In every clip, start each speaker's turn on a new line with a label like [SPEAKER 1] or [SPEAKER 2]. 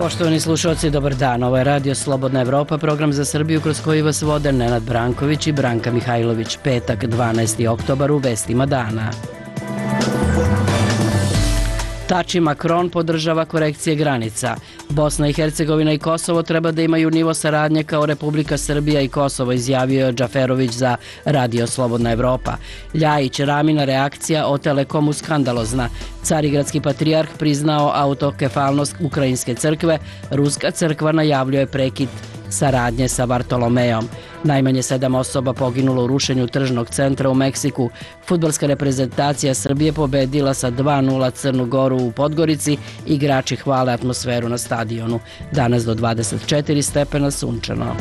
[SPEAKER 1] Poštovani slušalci, dobar dan. Ovo je Radio Slobodna Evropa, program za Srbiju kroz koji vas vode Nenad Branković i Branka Mihajlović. Petak, 12. oktobar, u vestima dana. Tači Macron podržava korekcije granica. Bosna i Hercegovina i Kosovo treba da imaju nivo saradnje kao Republika Srbija i Kosovo, izjavio je Džaferović za Radio Slobodna Evropa. Ljajić, Ramina reakcija o Telekomu skandalozna. Carigradski patrijarh priznao autokefalnost Ukrajinske crkve. Ruska crkva najavljuje prekid saradnje sa Bartolomejom. Najmanje 7 osoba poginulo u rušenju tržnog centra u Meksiku. Fudbalska reprezentacija Srbije pobedila sa 2:0 Crnu Goru u Podgorici. Igrači hvale atmosferu na stadionu. Danas do 24 stepena sunčano.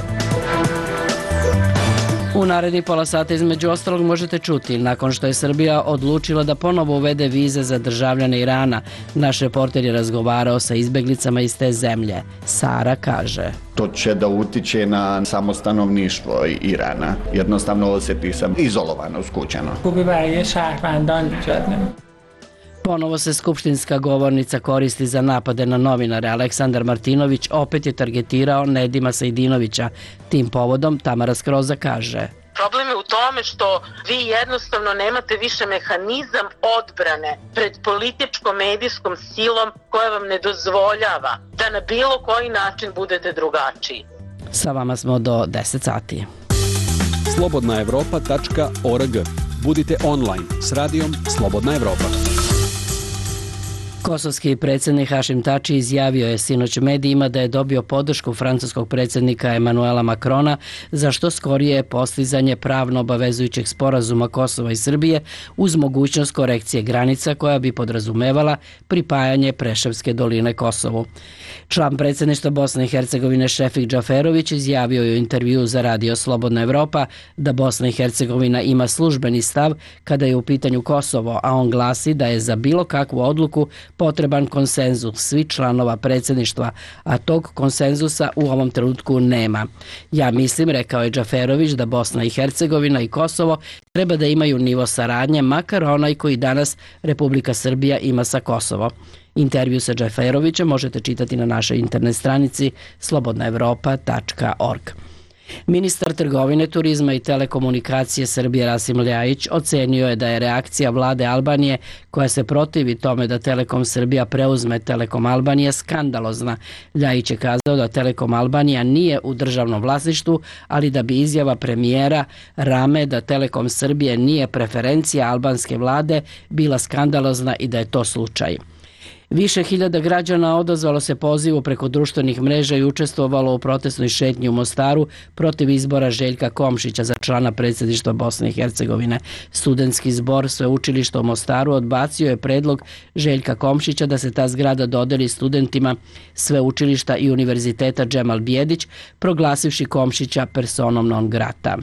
[SPEAKER 1] U narednih pola sata između ostalog možete čuti, nakon što je Srbija odlučila da ponovo uvede vize za državljane Irana, naš reporter je razgovarao sa izbeglicama iz te zemlje. Sara kaže:
[SPEAKER 2] To će da utiče na samo stanovništvo Irana. Jednostavno osjeti se izolovano, skučeno.
[SPEAKER 1] Ponovo se skupštinska govornica koristi za napade na novinare. Aleksandar Martinović opet je targetirao Nedima Sejdinovića. Tim povodom Tamara Skroza kaže:
[SPEAKER 3] Problem je u tome što vi jednostavno nemate više mehanizam odbrane pred političko-medijskom silom koja vam ne dozvoljava da na bilo koji način budete drugačiji.
[SPEAKER 1] Sa vama smo do 10 sati.
[SPEAKER 4] slobodnaevropa.org. Budite online s radijom Slobodna Evropa.
[SPEAKER 1] Kosovski predsjednik Hašim Tači izjavio je sinoć medijima da je dobio podršku francuskog predsjednika Emanuela Macrona za što skorije postizanje pravno obavezujućeg sporazuma Kosova i Srbije uz mogućnost korekcije granica koja bi podrazumevala pripajanje Preševske doline Kosovu. Član predsjedništva Bosne i Hercegovine Šefik Džaferović izjavio je u intervjuu za Radio Slobodna Evropa da Bosna i Hercegovina ima službeni stav kada je u pitanju Kosovo, a on glasi da je za bilo kakvu odluku potreban konsenzus svih članova predsjedništva, a tog konsenzusa u ovom trenutku nema. Ja mislim, rekao je Džaferović, da Bosna i Hercegovina i Kosovo treba da imaju nivo saradnje, makar onaj koji danas Republika Srbija ima sa Kosovo. Intervju sa Džaferovićem možete čitati na našoj internet stranici slobodnaevropa.org. Ministar trgovine, turizma i telekomunikacije Srbije Rasim Ljajić ocenio je da je reakcija vlade Albanije koja se protivi tome da Telekom Srbija preuzme Telekom Albanija skandalozna. Ljajić je kazao da Telekom Albanija nije u državnom vlasništvu, ali da bi izjava premijera Rame da Telekom Srbije nije preferencija albanske vlade bila skandalozna i da je to slučaj. Više hiljada građana odazvalo se pozivu preko društvenih mreža i učestvovalo u protestnoj šetnji u Mostaru protiv izbora Željka Komšića za člana predsjedništva Bosne i Hercegovine. Studentski zbor sveučilišta u Mostaru odbacio je predlog Željka Komšića da se ta zgrada dodeli studentima sveučilišta i univerziteta Džemal Bijedić, proglasivši Komšića personom non grata.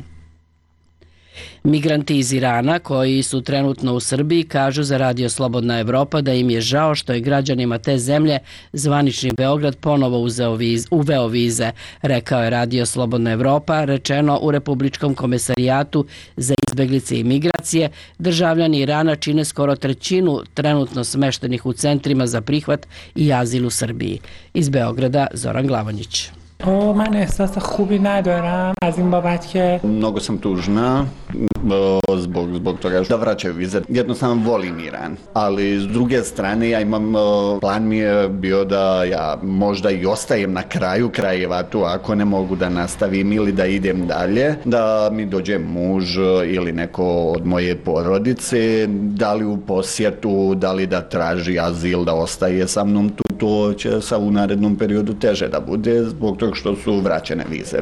[SPEAKER 1] Migranti iz Irana koji su trenutno u Srbiji kažu za Radio Slobodna Evropa da im je žao što je građanima te zemlje zvanični Beograd ponovo uveo vize, rekao je Radio Slobodna Evropa, rečeno u Republičkom komesarijatu za izbeglice i migracije. Državljani Irana čine skoro trećinu trenutno smeštenih u centrima za prihvat i azil u Srbiji. Iz Beograda Zoran Glavonjić.
[SPEAKER 5] من احساس خوبی ندارم از این بابت که
[SPEAKER 2] Mnogo sam tužna zbog toga da vraćaju vize. Jednostavno volim Iran, ali s druge strane ja imam, plan mi je bio da ja možda i ostajem na kraju krajeva tu ako ne mogu da nastavim ili da idem dalje, da mi dođe muž ili neko od moje porodice, da li u posjetu, da li da traži azil, da ostaje sa mnom tu. To će sa u narednom periodu teže da bude zbog toga što su vraćene vize.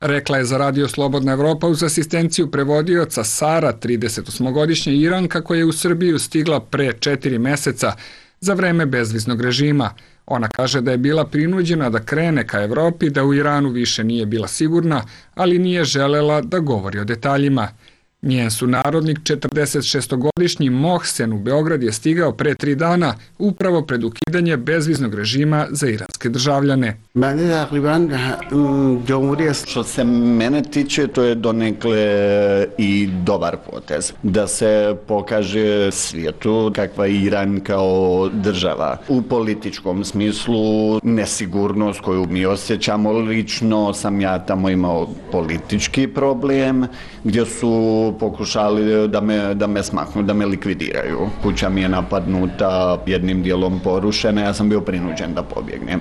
[SPEAKER 6] Rekla je za Radio Slobodna Evropa uz asistenciju prevodioca Sara, 38-godišnja Iranka koja je u Srbiju stigla pre 4 meseca za vreme bezviznog režima. Ona kaže da je bila prinuđena da krene ka Evropi, da u Iranu više nije bila sigurna, ali nije želela da govori o detaljima. Njen sunarodnik, 46-godišnji Mohsen u Beograd je stigao pre 3 dana upravo pred ukidanje bezviznog režima za iranske državljane.
[SPEAKER 2] Što se mene tiče, to je donekle i dobar potez. Da se pokaže svijetu kakva je Iran kao država. U političkom smislu nesigurnost koju mi osjećamo, lično sam ja tamo imao politički problem gdje su pokušali da me smaknu, da me likvidiraju. Kuća mi je napadnuta, jednim dijelom porušena, ja sam bio prinuđen da pobjegnem.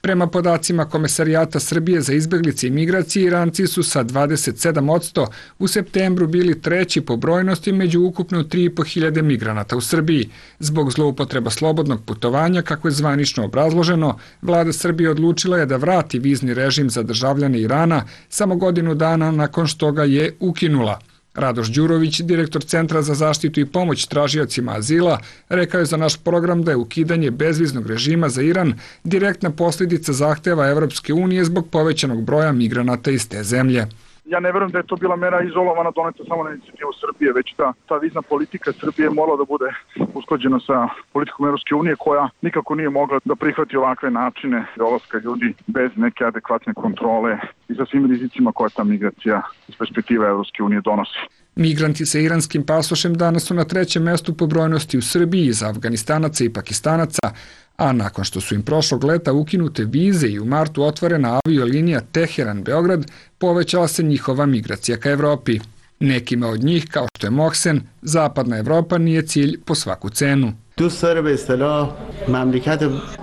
[SPEAKER 6] Prema podacima Komesarijata Srbije za izbeglice i migracije, Iranci su sa 27% u septembru bili treći po brojnosti među ukupno 3.500 migranata u Srbiji. Zbog zloupotreba slobodnog putovanja, kako je zvanično obrazloženo, vlada Srbije odlučila je da vrati vizni režim za državljane Irana samo godinu dana nakon što ga je ukinula. Radoš Đurović, direktor Centra za zaštitu i pomoć tražiocima azila, rekao je za naš program da je ukidanje bezviznog režima za Iran direktna posljedica zahteva Evropske unije zbog povećanog broja migranata iz te zemlje.
[SPEAKER 7] Ja ne verujem da je to bila mera izolovana, doneta samo na inicijativu Srbije, već ta vizna politika Srbije morala da bude usklađena sa politikom Evropske unije, koja nikako nije mogla da prihvati ovakve načine dolaska ljudi bez neke adekvatne kontrole i sa svim rizicima koja ta migracija iz perspektive Evropske unije donosi.
[SPEAKER 6] Migranti sa iranskim pasošem danas su na 3. mestu po brojnosti u Srbiji iza Afganistanaca i Pakistanaca, a nakon što su im prošlog leta ukinute vize i u martu otvorena aviolinija Teheran-Beograd, povećala se njihova migracija ka Evropi. Nekima od njih, kao što je Mohsen, zapadna Evropa nije cilj po svaku cenu.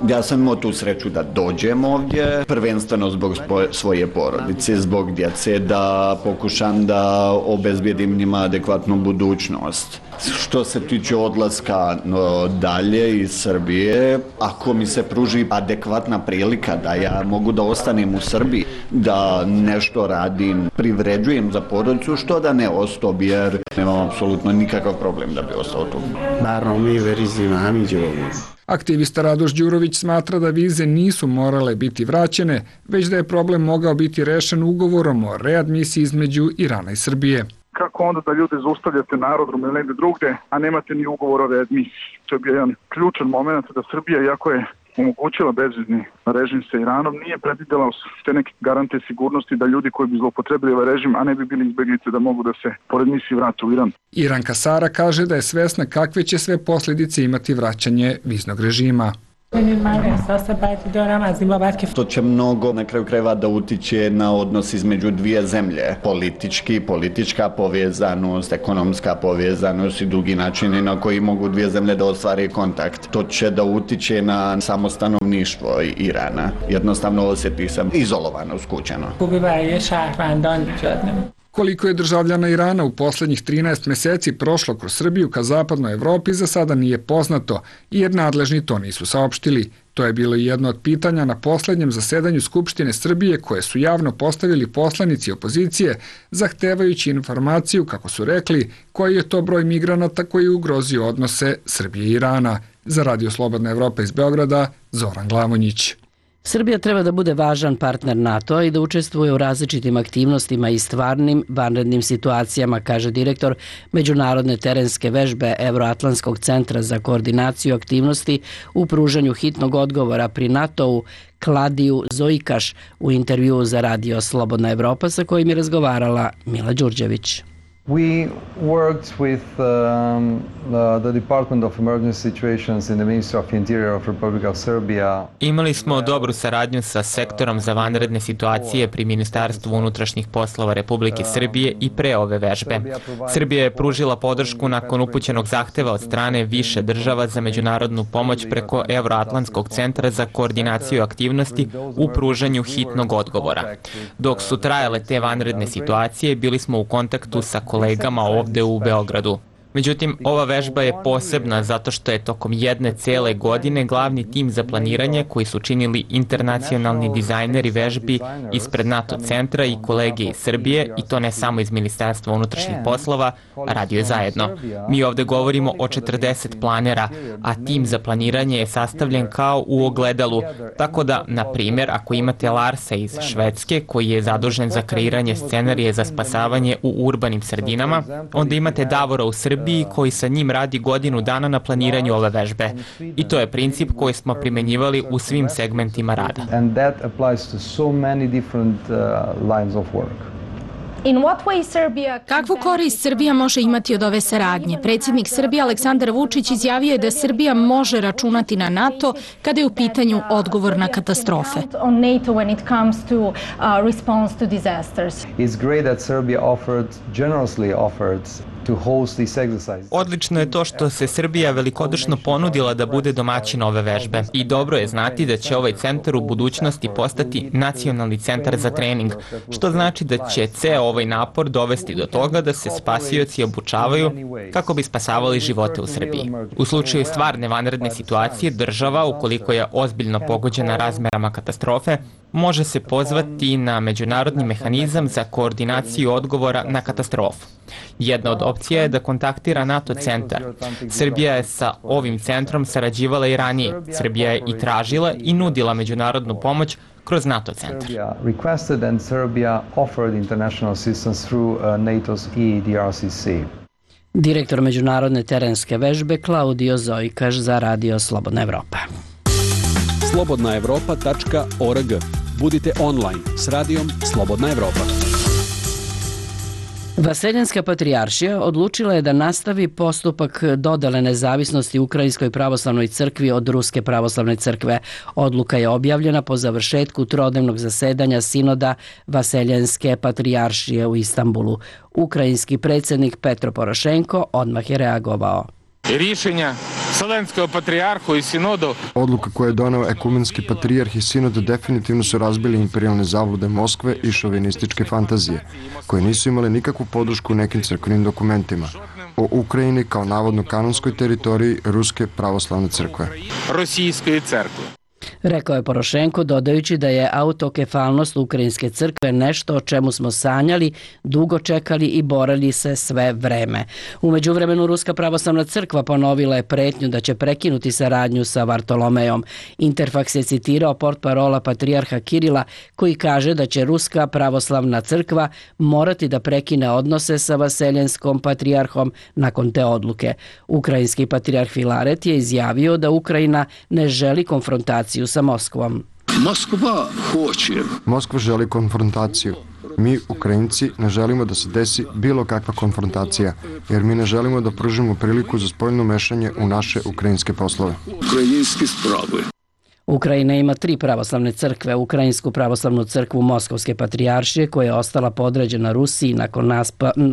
[SPEAKER 2] Ja sam imao tu sreću da dođem ovdje, prvenstveno zbog svoje porodice, zbog djece, da pokušam da obezbijedim njima adekvatnu budućnost. Što se tiče odlaska dalje iz Srbije, ako mi se pruži adekvatna prilika da ja mogu da ostanem u Srbiji, da nešto radim, privređujem za porodicu, što da ne ostao, jer nemam apsolutno nikakav problem da bi ostao tu.
[SPEAKER 6] Aktivista Radoš Đurović smatra da vize nisu morale biti vraćene, već da je problem mogao biti rešen ugovorom o readmisiji između Irana i Srbije.
[SPEAKER 7] Kako onda da ljude zaustavljate na aerodromu ili negde drugde, a nemate ni ugovor o readmisiji? To je bio jedan ključan moment da Srbija, iako je omogućila bezvizni režim sa Iranom, nije predvidela te neke garante sigurnosti da ljudi koji bi zloupotrebili ovaj režim, a ne bi bili izbeglice, da mogu da se pored misiji vrate u Iran.
[SPEAKER 6] Iranka Sara kaže da je svesna kakve će sve posljedice imati vraćanje viznog režima.
[SPEAKER 2] To će mnogo na kraju krajeva da utiče na odnos između dvije zemlje. Politička povezanost, ekonomska povezanost i drugi načini na koji mogu dvije zemlje da ostvare kontakt. To će da utiče na samo stanovništvo Irana. Jednostavno osjeti se izolovano, skućeno.
[SPEAKER 6] Koliko je državljana Irana u posljednjih 13 meseci prošlo kroz Srbiju ka zapadnoj Evropi za sada nije poznato, jer nadležni to nisu saopštili. To je bilo jedno od pitanja na posljednjem zasedanju Skupštine Srbije koje su javno postavili poslanici opozicije, zahtevajući informaciju, kako su rekli, koji je to broj migranata koji je ugrozio odnose Srbije i Irana. Za Radio Slobodna Evropa iz Beograda, Zoran Glavonjić.
[SPEAKER 1] Srbija treba da bude važan partner NATO-a i da učestvuje u različitim aktivnostima i stvarnim vanrednim situacijama, kaže direktor Međunarodne terenske vežbe Evroatlantskog centra za koordinaciju aktivnosti u pružanju hitnog odgovora pri NATO-u Kladiju Zojkaš u intervjuu za Radio Slobodna Evropa sa kojim je razgovarala Mila Đurđević.
[SPEAKER 8] We worked with the Department of Emergency Situations in the Ministry of Interior of Republic of Serbia.
[SPEAKER 9] Imali smo dobru saradnju sa sektorom za vanredne situacije pri Ministarstvu unutrašnjih poslova Republike Srbije i pre ove vežbe. Srbija je pružila podršku nakon upućenog zahteva od strane više država za međunarodnu pomoć preko Evroatlantskog centra za koordinaciju aktivnosti u pružanju hitnog odgovora. Dok su trajale te vanredne situacije, bili smo u kontaktu sa kolegama ovde u Beogradu. Međutim, ova vežba je posebna zato što je tokom jedne cele godine glavni tim za planiranje koji su činili internacionalni dizajneri vežbi ispred NATO centra i kolege iz Srbije, i to ne samo iz Ministarstva unutrašnjih poslova, radio je zajedno. Mi ovde govorimo o 40 planera, a tim za planiranje je sastavljen kao u ogledalu, tako da, na primjer, ako imate Larsa iz Švedske koji je zadužen za kreiranje scenarije za spasavanje u urbanim sredinama, onda imate Davora u Srbiji koji sa njim radi godinu dana na planiranju ove vežbe. I to je princip koji smo primenjivali u svim segmentima rada.
[SPEAKER 10] Kakvu korist Srbija može imati od ove saradnje? Predsjednik Srbije Aleksandar Vučić izjavio je da Srbija može računati na NATO kada je u pitanju odgovor na katastrofe.
[SPEAKER 9] Odlično je to što se Srbija velikodušno ponudila da bude domaćin ove vežbe. I dobro je znati da će ovaj centar u budućnosti postati nacionalni centar za trening, što znači da će ceo ovaj napor dovesti do toga da se spasioci obučavaju kako bi spasavali živote u Srbiji. U slučaju stvarne vanredne situacije, država, ukoliko je ozbiljno pogođena razmerama katastrofe, može se pozvati na međunarodni mehanizam za koordinaciju odgovora na katastrofu. Jedna od opcija je da kontaktira NATO centar. Srbija je sa ovim centrom sarađivala i ranije. Srbija je i tražila i nudila međunarodnu pomoć kroz NATO centar.
[SPEAKER 1] Direktor međunarodne terenske vežbe Klaudio Zojkaš za Radio Slobodna Evropa.
[SPEAKER 4] slobodnaevropa.org. Budite online s radijom Slobodna Evropa.
[SPEAKER 1] Vaseljenska patrijaršija odlučila je da nastavi postupak dodele nezavisnosti Ukrajinskoj pravoslavnoj crkvi od Ruske pravoslavne crkve. Odluka je objavljena po završetku trodnevnog zasedanja sinoda Vaseljenske patrijaršije u Istanbulu. Ukrajinski predsjednik Petro Porošenko odmah je reagovao.
[SPEAKER 11] Rješenja Vselenskog patrijarhu i sinodu.
[SPEAKER 12] Odluka koje je doneo ekumenski patrijarh i sinod definitivno su razbili imperijalne zavlude Moskve i šovinističke fantazije, koje nisu imale nikakvu podršku u nekim crkvenim dokumentima o Ukrajini kao navodno kanonskoj teritoriji Ruske pravoslavne crkve.
[SPEAKER 11] Rusijske crkve.
[SPEAKER 1] Rekao je Porošenko, dodajući da je autokefalnost Ukrajinske crkve nešto o čemu smo sanjali, dugo čekali i borili se sve vreme. U međuvremenu Ruska pravoslavna crkva ponovila je pretnju da će prekinuti saradnju sa Vartolomejom. Interfaks je citirao portparola patrijarha Kirila koji kaže da će Ruska pravoslavna crkva morati da prekine odnose sa Vaseljenskom patrijarhom nakon te odluke. Ukrajinski patrijarh Filaret je izjavio da Ukrajina ne želi konfrontaciju sa Moskvom.
[SPEAKER 12] Moskva želi konfrontaciju. Mi, Ukrajinci, ne želimo da se desi bilo kakva konfrontacija, jer mi ne želimo da pružimo priliku za spoljno mešanje u naše ukrajinske poslove.
[SPEAKER 1] Ukrajina ima 3 pravoslavne crkve, Ukrajinsku pravoslavnu crkvu Moskovske patrijaršije koja je ostala podređena Rusiji nakon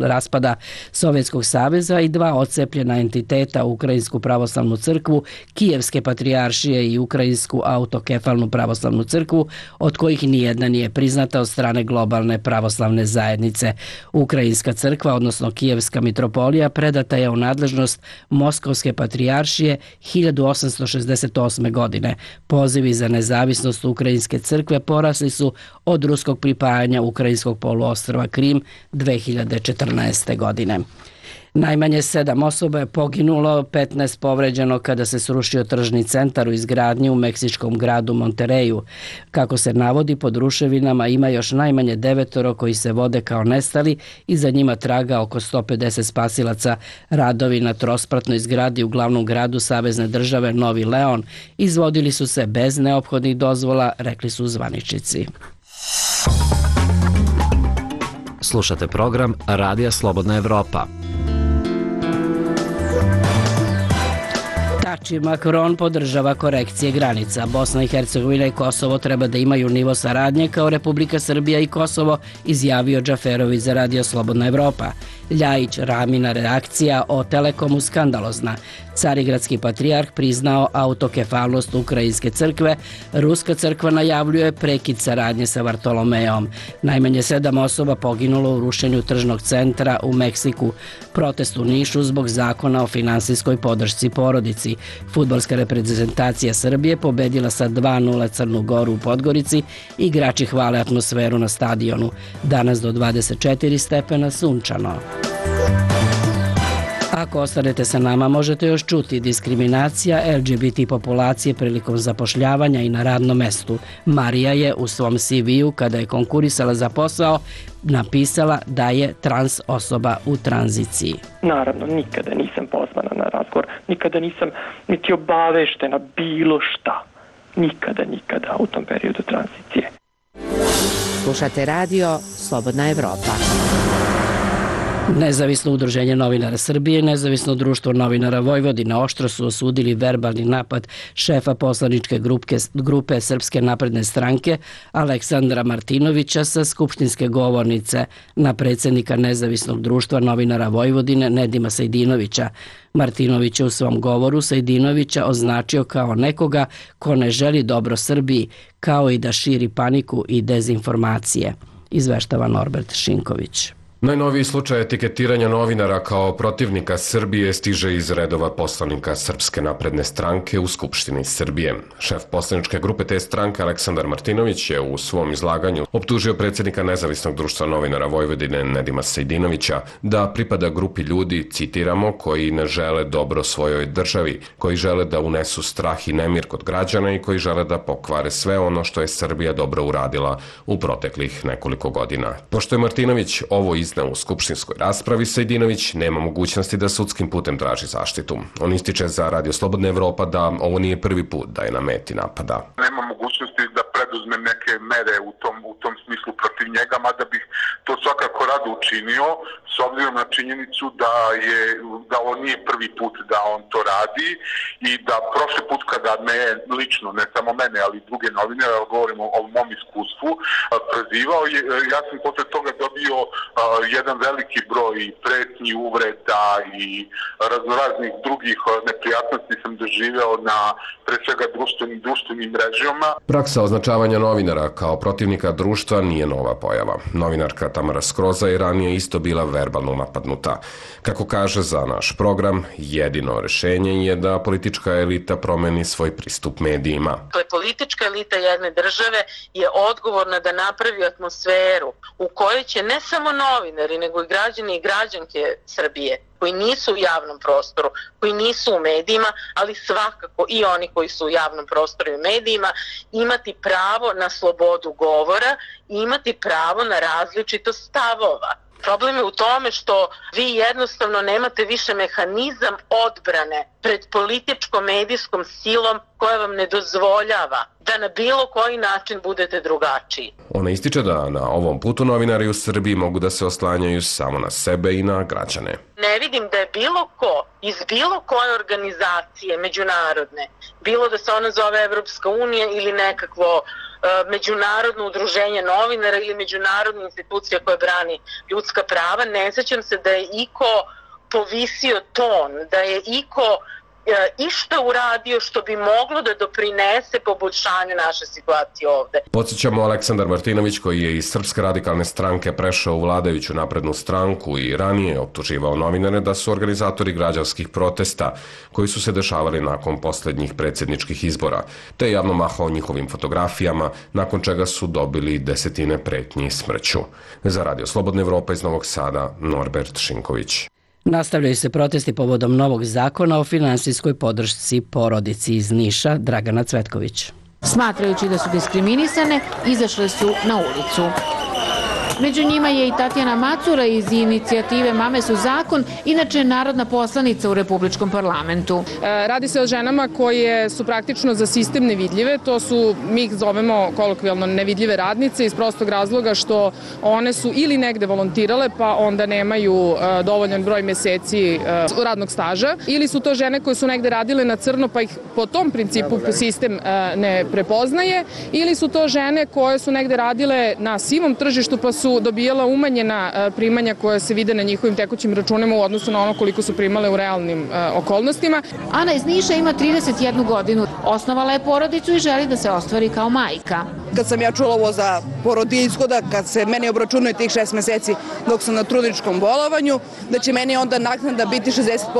[SPEAKER 1] raspada Sovjetskog saveza i 2 odcepljena entiteta, Ukrajinsku pravoslavnu crkvu Kijevske patrijaršije i Ukrajinsku autokefalnu pravoslavnu crkvu, od kojih nijedna nije priznata od strane globalne pravoslavne zajednice. Ukrajinska crkva, odnosno Kijevska mitropolija, predata je u nadležnost Moskovske patrijaršije 1868. godine. Pozivi za nezavisnost Ukrajinske crkve porasli su od ruskog pripajanja Ukrajinskog poluostrva Krim 2014. godine. Najmanje 7 osoba je poginulo, 15 povređeno kada se srušio tržni centar u izgradnji u meksičkom gradu Montereju. Kako se navodi, pod ruševinama ima još najmanje 9 koji se vode kao nestali i za njima traga oko 150 spasilaca. Radovi na trospratnoj zgradi u glavnom gradu savezne države Novi Leon izvodili su se bez neophodnih dozvola, rekli su zvaničnici.
[SPEAKER 13] Slušate program Radija Slobodna Evropa.
[SPEAKER 1] Tači Macron podržava korekcije granica. Bosna i Hercegovina i Kosovo treba da imaju nivo saradnje kao Republika Srbija i Kosovo, izjavio Džaferović za Radio Slobodna Evropa. Ljajić Ramina reakcija o Telekomu skandalozna. Carigradski patrijarh priznao autokefalnost Ukrajinske crkve, Ruska crkva najavljuje prekid saradnje sa Vartolomeom. Najmanje 7 osoba poginulo u rušenju tržnog centra u Meksiku. Protest u Nišu zbog zakona o finansijskoj podršci porodici. Fudbalska reprezentacija Srbije pobedila sa 2:0 Crnu Goru u Podgorici. Igrači hvale atmosferu na stadionu. Danas do 24 stepena sunčano. Ako ostanete sa nama, možete još čuti diskriminacija LGBT populacije prilikom zapošljavanja i na radnom mestu. Marija je u svom CV-u, kada je konkurisala za posao, napisala da je trans osoba u tranziciji.
[SPEAKER 14] Naravno, nikada nisam pozvana na razgovor, nikada nisam niti obaveštena bilo šta. Nikada u tom periodu tranzicije.
[SPEAKER 15] Slušate radio Slobodna Evropa.
[SPEAKER 1] Nezavisno udruženje novinara Srbije i Nezavisno društvo novinara Vojvodine oštro su osudili verbalni napad šefa poslaničke grupe Srpske napredne stranke Aleksandra Martinovića sa skupštinske govornice na predsjednika Nezavisnog društva novinara Vojvodine Nedima Sejdinovića. Martinović je u svom govoru Sejdinovića označio kao nekoga ko ne želi dobro Srbiji, kao i da širi paniku i dezinformacije, izveštava Norbert Šinković.
[SPEAKER 16] Najnoviji slučaj etiketiranja novinara kao protivnika Srbije stiže iz redova poslanika Srpske napredne stranke u Skupštini Srbije. Šef poslaničke grupe te stranke Aleksandar Martinović je u svom izlaganju optužio predsjednika Nezavisnog društva novinara Vojvodine Nedima Sejdinovića da pripada grupi ljudi, citiramo, koji ne žele dobro svojoj državi, koji žele da unesu strah i nemir kod građana i koji žele da pokvare sve ono što je Srbija dobro uradila u proteklih nekoliko godina. Pošto je Martinović ovo izneo u skupštinskoj raspravi, Sejdinović nema mogućnosti da sudskim putem traži zaštitu. On ističe za Radio Slobodna Evropa da ovo nije prvi put da je na meti napada.
[SPEAKER 17] Nema mogućnosti da preduzmem neke mere u tom smislu protiv njega, mada bih to svakako rado učinio, s obzirom na činjenicu da ovo nije prvi put da on to radi i da prošli put kada me lično, ne samo mene, ali i druge novinare, govorimo o mom iskustvu, prozivao, ja sam posle toga dobio jedan veliki broj pretnji, uvreda i raznoraznih drugih neprijatnosti sam doživeo na pre svega društvenim mrežama.
[SPEAKER 16] Praksa označavanja novinara kao protivnika društva nije nova pojava. Novinarka Tamara Skroza je ranije isto bila verbalno napadnuta. Kako kaže za naš program, jedino rešenje je da politička elita promeni svoj pristup medijima.
[SPEAKER 3] Politička elita jedne države je odgovorna da napravi atmosferu u kojoj će ne samo novinari, nego i građani i građanke Srbije koji nisu u javnom prostoru, koji nisu u medijima, ali svakako i oni koji su u javnom prostoru i medijima, imati pravo na slobodu govora i imati pravo na različitost stavova. Problem je u tome što vi jednostavno nemate više mehanizam odbrane pred političko-medijskom silom koja vam ne dozvoljava da na bilo koji način budete drugačiji.
[SPEAKER 16] Ona ističe da na ovom putu novinari u Srbiji mogu da se oslanjaju samo na sebe i na građane.
[SPEAKER 3] Ne vidim da je bilo ko iz bilo koje organizacije međunarodne, bilo da se ona zove Evropska unija ili nekakvo međunarodno udruženje novinara ili međunarodna institucija koja brani ljudska prava, ne sećam se da je iko povisio ton, da je iko išta uradio što bi moglo da doprinese poboljšanju naše situacije ovde.
[SPEAKER 16] Podsjećamo, Aleksandar Martinović, koji je iz Srpske radikalne stranke prešao u vladajuću naprednu stranku i ranije optuživao novinare da su organizatori građanskih protesta koji su se dešavali nakon posljednjih predsjedničkih izbora, te javno mahao njihovim fotografijama, nakon čega su dobili desetine pretnji smrću. Za Radio Slobodna Evropa iz Novog Sada, Norbert Šinković.
[SPEAKER 1] Nastavljaju se protesti povodom novog zakona o finansijskoj podršci porodici. Iz Niša, Dragana Cvetković.
[SPEAKER 10] Smatrajući da su diskriminisane, izašle su na ulicu. Među njima je i Tatjana Macura iz inicijative Mame su zakon, inače narodna poslanica u Republičkom parlamentu.
[SPEAKER 18] Radi se o ženama koje su praktično za sistem nevidljive, to su, mi ih zovemo kolokvijalno nevidljive radnice iz prostog razloga što one su ili negde volontirale pa onda nemaju dovoljan broj meseci radnog staža, ili su to žene koje su negde radile na crno pa ih po tom principu sistem ne prepoznaje, ili su to žene koje su negde radile na sivom tržištu pa su su dobijala umanjena primanja koja se vide na njihovim tekućim računima u odnosu na ono koliko su primale u realnim okolnostima.
[SPEAKER 10] Ana iz Niša ima 31 godinu. Osnovala je porodicu i želi da se ostvari kao majka.
[SPEAKER 19] Kad sam ja čula ovo za porodiljsko, da kad se meni obračunuje tih 6 meseci dok sam na trudničkom bolovanju, da će meni onda naknada biti 60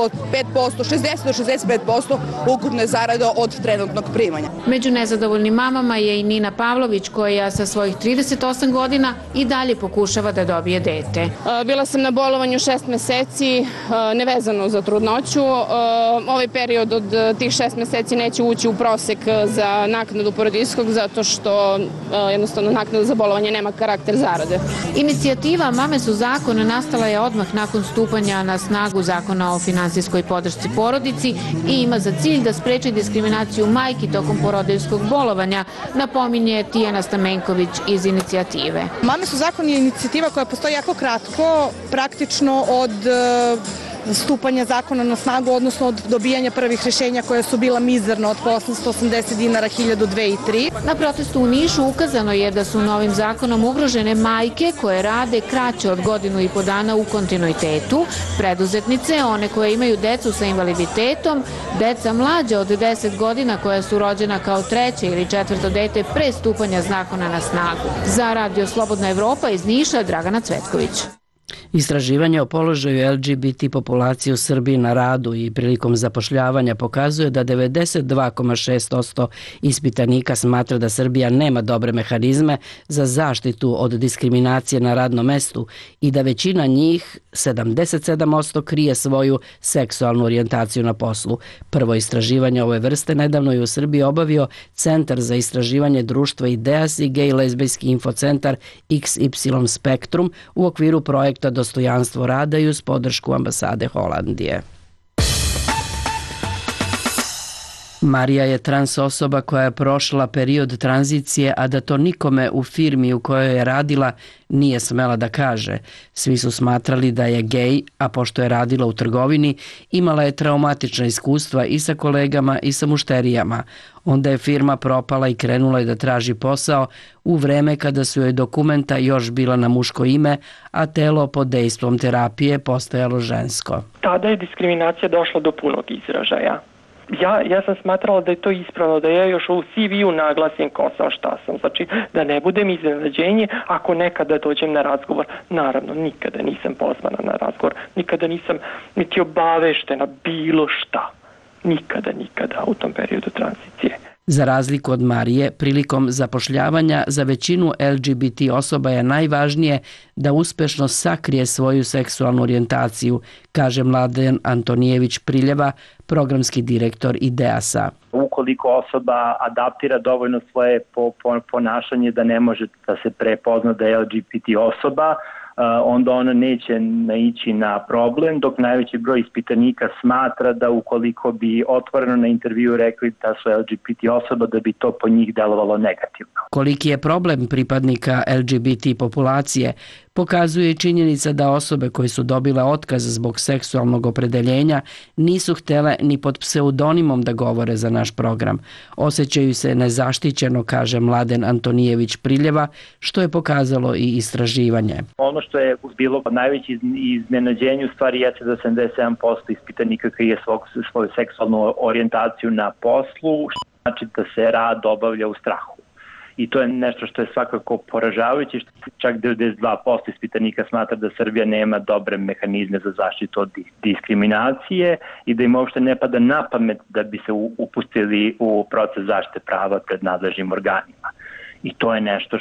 [SPEAKER 19] do 65% ukupne zarade od trenutnog primanja.
[SPEAKER 10] Među nezadovoljnim mamama je i Nina Pavlović, koja sa svojih 38 godina i dalje pokušava da dobije dete.
[SPEAKER 20] Bila sam na bolovanju 6 meseci, nevezano za trudnoću. Ovaj period od tih 6 meseci neće ući u prosek za naknadu porodiljskog, zato što jednostavno naknada za bolovanje nema karakter zarade.
[SPEAKER 10] Inicijativa Mame su zakon nastala je odmah nakon stupanja na snagu Zakona o finansijskoj podršci porodici i ima za cilj da spreči diskriminaciju majki tokom porodiljskog bolovanja, napominje Tijana Stamenković iz inicijative.
[SPEAKER 21] Mame su zakon je inicijativa koja postoji jako kratko, praktično od stupanja zakona na snagu, odnosno od dobijanja prvih rješenja koja su bila mizerno od 880 dinara, 1000, 2 i 3.
[SPEAKER 10] Na protestu u Nišu ukazano je da su novim zakonom ugrožene majke koje rade kraće od 1,5 godina u kontinuitetu, preduzetnice, one koje imaju decu sa invaliditetom, deca mlađa od 10 godina koja su rođena kao 3. ili 4. dete pre stupanja zakona na snagu. Za Radio Slobodna Evropa iz Niša, Dragana Cvetković.
[SPEAKER 1] Istraživanje o položaju LGBT populacije u Srbiji na radu i prilikom zapošljavanja pokazuje da 92,6% ispitanika smatra da Srbija nema dobre mehanizme za zaštitu od diskriminacije na radnom mestu i da većina njih, 77%, krije svoju seksualnu orijentaciju na poslu. Prvo istraživanje ove vrste nedavno je u Srbiji obavio Centar za istraživanje društva Ideas i gej lezbijski infocentar XY Spektrum u okviru projekta Dostojanstvo rada i uz podršku ambasade Holandije. Marija je trans osoba koja je prošla period tranzicije, a da to nikome u firmi u kojoj je radila nije smela da kaže. Svi su smatrali da je gej, a pošto je radila u trgovini, imala je traumatična iskustva i sa kolegama i sa mušterijama. Onda je firma propala i krenula je da traži posao u vreme kada su joj dokumenta još bila na muško ime, a telo pod dejstvom terapije postajalo žensko.
[SPEAKER 14] Tada je diskriminacija došla do punog izražaja. Ja sam smatrala da je to ispravno, da ja još u CV-u naglasim ko sam, šta sam. Znači, da ne budem iznenađenje ako nekada dođem na razgovor. Naravno, nikada nisam pozvana na razgovor, nikada nisam niti obaveštena bilo šta. Nikada u tom periodu tranzicije.
[SPEAKER 1] Za razliku od Marije, prilikom zapošljavanja za većinu LGBT osoba je najvažnije da uspešno sakrije svoju seksualnu orijentaciju, kaže Mladen Antonijević Priljeva, programski direktor Ideasa.
[SPEAKER 22] Ukoliko osoba adaptira dovoljno svoje ponašanje da ne može da se prepozna da je LGBT osoba, onda ona neće naići na problem, dok najveći broj ispitanika smatra da ukoliko bi otvoreno na intervju rekli da su LGBT osoba, da bi to po njih delovalo negativno.
[SPEAKER 1] Koliki je problem pripadnika LGBT populacije, pokazuje i činjenica da osobe koje su dobile otkaz zbog seksualnog opredeljenja nisu htele ni pod pseudonimom da govore za naš program. Osjećaju se nezaštićeno, kaže Mladen Antonijević Priljeva, što je pokazalo i istraživanje.
[SPEAKER 22] Ono što je bilo najveće iznenađenje u stvari jeste da 77% ispitanika krije svoju seksualnu orijentaciju na poslu, što znači da se rad obavlja u strahu. I to je nešto što je svakako poražavajuće, čak 92% ispitanika smatra da Srbija nema dobre mehanizme za zaštitu od diskriminacije i da im uopšte ne pada na pamet da bi se upustili u proces zaštite prava pred nadležnim organima. I to je nešto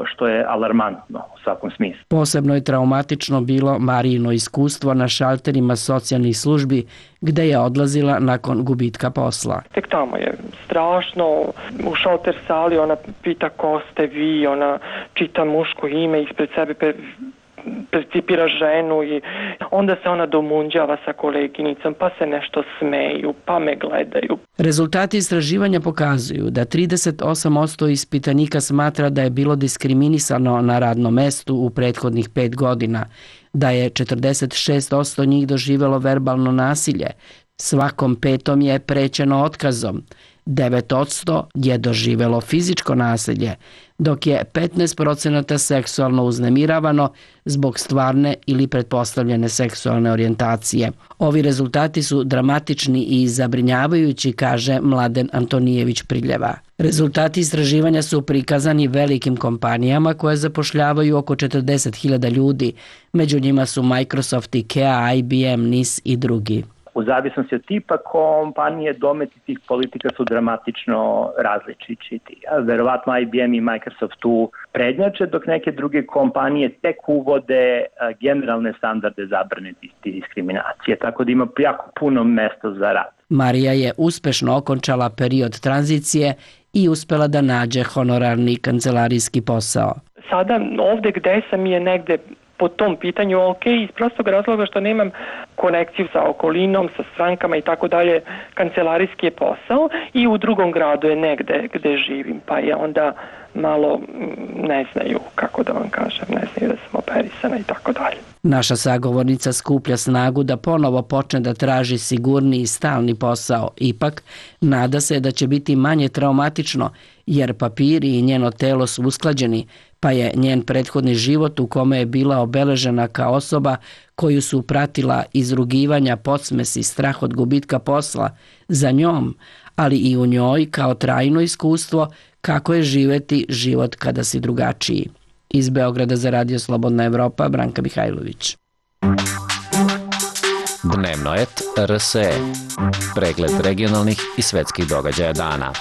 [SPEAKER 22] što je alarmantno u svakom smislu.
[SPEAKER 1] Posebno je traumatično bilo Marijino iskustvo na šalterima socijalnih službi gde je odlazila nakon gubitka posla.
[SPEAKER 14] Tek tamo je strašno, u šalter sali ona pita ko ste vi, ona čita muško ime ispred sebe, percipira ženu i onda se ona domunđava sa koleginicom, pa se nešto smeju, pa me gledaju.
[SPEAKER 1] Rezultati istraživanja pokazuju da 38% ispitanika smatra da je bilo diskriminisano na radnom mestu u prethodnih 5 godina, da je 46% njih doživjelo verbalno nasilje, svakom 5. je prećeno otkazom, 9% je doživelo fizičko nasilje, dok je 15% seksualno uznemiravano zbog stvarne ili pretpostavljene seksualne orijentacije. Ovi rezultati su dramatični i zabrinjavajući, kaže Mladen Antonijević Priljeva. Rezultati istraživanja su prikazani velikim kompanijama koje zapošljavaju oko 40.000 ljudi. Među njima su Microsoft, IKEA, IBM, NIS i drugi.
[SPEAKER 22] U zavisnosti od tipa kompanije, dometi tih politika su dramatično različiti. Verovatno IBM i Microsoft tu prednjače, dok neke druge kompanije tek uvode generalne standarde zabrane diskriminacije, tako da ima jako puno mesta za rad.
[SPEAKER 1] Marija je uspešno okončala period tranzicije i uspela da nađe honorarni kancelarijski posao.
[SPEAKER 14] Sada ovde gde sam je negde po tom pitanju ok, iz prostog razloga što nemam konekciju sa okolinom, sa strankama i tako dalje, kancelarijski je posao i u drugom gradu je negde gde živim, pa je onda malo ne znaju, kako da vam kažem, ne znaju da sam operisana i tako dalje.
[SPEAKER 1] Naša sagovornica skuplja snagu da ponovo počne da traži sigurni i stalni posao. Ipak, nada se da će biti manje traumatično, jer papiri i njeno telo su usklađeni, pa je njen prethodni život u kome je bila obeležena kao osoba koju su pratila izrugivanja, podsmesi, strah od gubitka posla, za njom, ali i u njoj kao trajno iskustvo kako je živeti život kada si drugačiji. Iz Beograda za Radio Slobodna Evropa, Branka Mihajlović.
[SPEAKER 13] Dnevnoet RSE. Pregled regionalnih i svetskih događaja dana.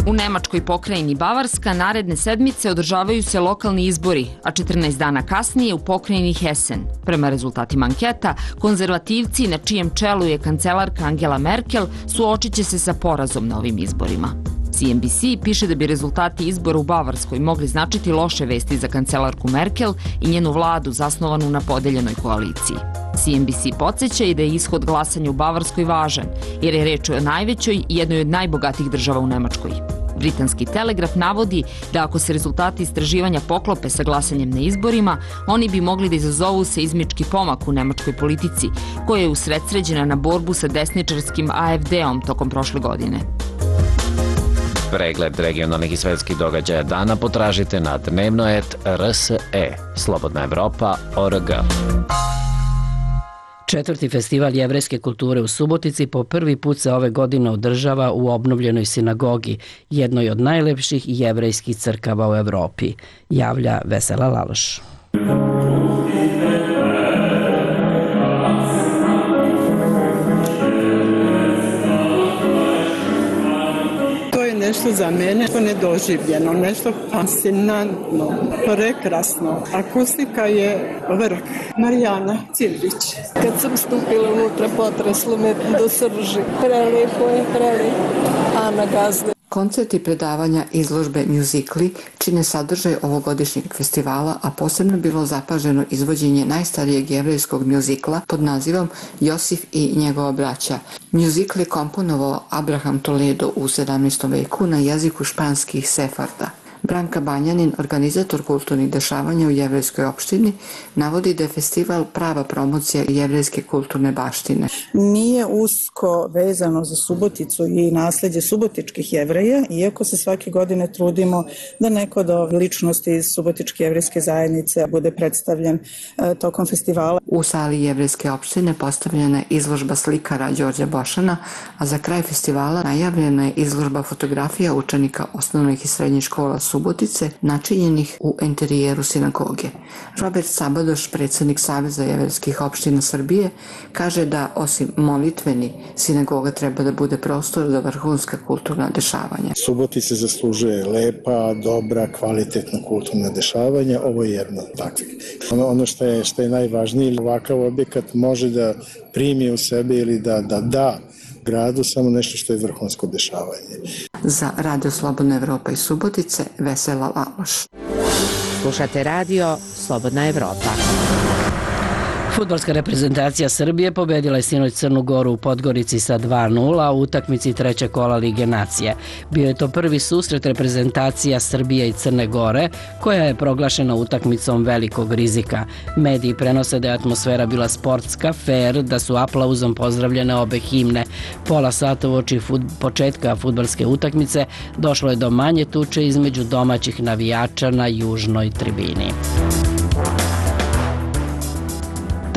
[SPEAKER 5] U nemačkoj pokrajini Bavarska naredne sedmice održavaju se lokalni izbori, a 14 dana kasnije u pokrajini Hessen. Prema rezultatima anketa, konzervativci, na čijem čelu je kancelarka Angela Merkel, suočit će se sa porazom na ovim izborima. CNBC piše da bi rezultati izbora u Bavarskoj mogli značiti loše vesti za kancelarku Merkel i njenu vladu zasnovanu na podeljenoj koaliciji. CNBC podsjeća i da je ishod glasanja u Bavarskoj važan, jer je reč o najvećoj i jednoj od najbogatijih država u Nemačkoj. Britanski Telegraf navodi da ako se rezultati istraživanja poklope sa glasanjem na izborima, oni bi mogli da izazovu seizmički pomak u nemačkoj politici, koja je usredsređena na borbu sa desničarskim AfD-om tokom prošle godine.
[SPEAKER 13] Pregled regionalnih i svetskih događaja dana potražite na dnevnoet RSE, Slobodna Evropa.org.
[SPEAKER 1] Četvrti festival jevrejske kulture u Subotici po prvi put se ove godine održava u obnovljenoj sinagogi, jednoj od najlepših jevrejskih crkava u Evropi, javlja Vesela Laloš.
[SPEAKER 7] Nešto za mene nedoživljeno, nešto fascinantno, prekrasno. Akustika je vrh. Marijana Cildrić.
[SPEAKER 23] Kad sam stupila unutra, potreslo me do srži. Prelepo je, prelepo. Ana Gazde.
[SPEAKER 24] Koncerti, predavanja, izložbe, mjuzikli čine sadržaj ovogodišnjeg festivala, a posebno bilo zapaženo izvođenje najstarijeg jevrejskog mjuzikla pod nazivom Josif i njegova braća. Mjuzikl je komponovao Abraham Toledo u 17. veku na jeziku španskih sefarda. Branka Banjanin, organizator kulturnih dešavanja u jevrejskoj opštini, navodi da je festival prava promocija jevrejske kulturne baštine.
[SPEAKER 21] Nije usko vezano za Suboticu i nasleđe subotičkih jevreja, iako se svake godine trudimo da neko od ličnosti iz subotičke jevrejske zajednice bude predstavljen tokom festivala.
[SPEAKER 24] U sali jevrejske opštine postavljena je izložba slikara Đorđa Bošana, a za kraj festivala najavljena je izložba fotografija učenika osnovnih i srednjih škola Subotice, načinjenih u interijeru sinagoge. Robert Sabadoš, predsjednik Saveza jevrejskih opština Srbije, kaže da osim molitveni, sinagoga treba da bude prostor za vrhunska kulturna dešavanja.
[SPEAKER 25] Subotica zaslužuje lepa, dobra, kvalitetna kulturna dešavanja. Ovo je jedno takvih. Ono što je najvažnije, ovakav objekat može da primi u sebe ili da gradu samo nešto što je vrhunsko dešavanje.
[SPEAKER 24] Za Radio Slobodna Evropa iz Subotice, Vesela Laloš.
[SPEAKER 15] Slušate Radio Slobodna Evropa.
[SPEAKER 1] Fudbalska reprezentacija Srbije pobedila je sinoć Crnu Goru u Podgorici sa 2:0 u utakmici trećeg kola Lige nacije. Bio je to prvi susret reprezentacija Srbije i Crne Gore, koja je proglašena utakmicom velikog rizika. Mediji prenose da je atmosfera bila sportska, fair, da su aplauzom pozdravljene obe himne. Pola sata uoči početka fudbalske utakmice došlo je do manje tuče između domaćih navijača na južnoj tribini.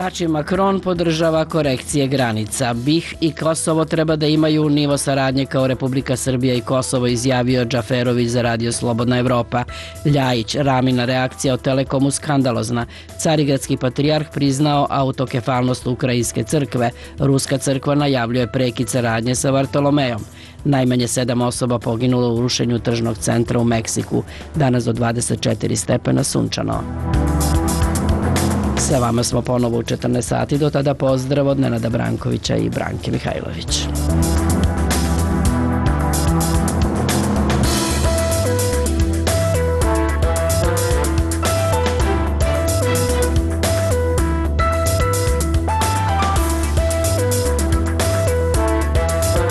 [SPEAKER 1] Tači Macron podržava korekcije granica. BiH i Kosovo treba da imaju nivo saradnje kao Republika Srbija i Kosovo, izjavio Džaferović za Radio Slobodna Evropa. Ljajić, Ramina reakcija o Telekomu skandalozna. Carigradski patrijarh priznao autokefalnost Ukrajinske crkve. Ruska crkva najavljuje prekid saradnje sa Vartolomejom. Najmanje 7 osoba poginulo u rušenju tržnog centra u Meksiku. Danas do 24 stepena sunčano. Sa vama smo ponovo u 14 sati, do tada pozdrav od Nenada Brankovića i Branke Mihajlović.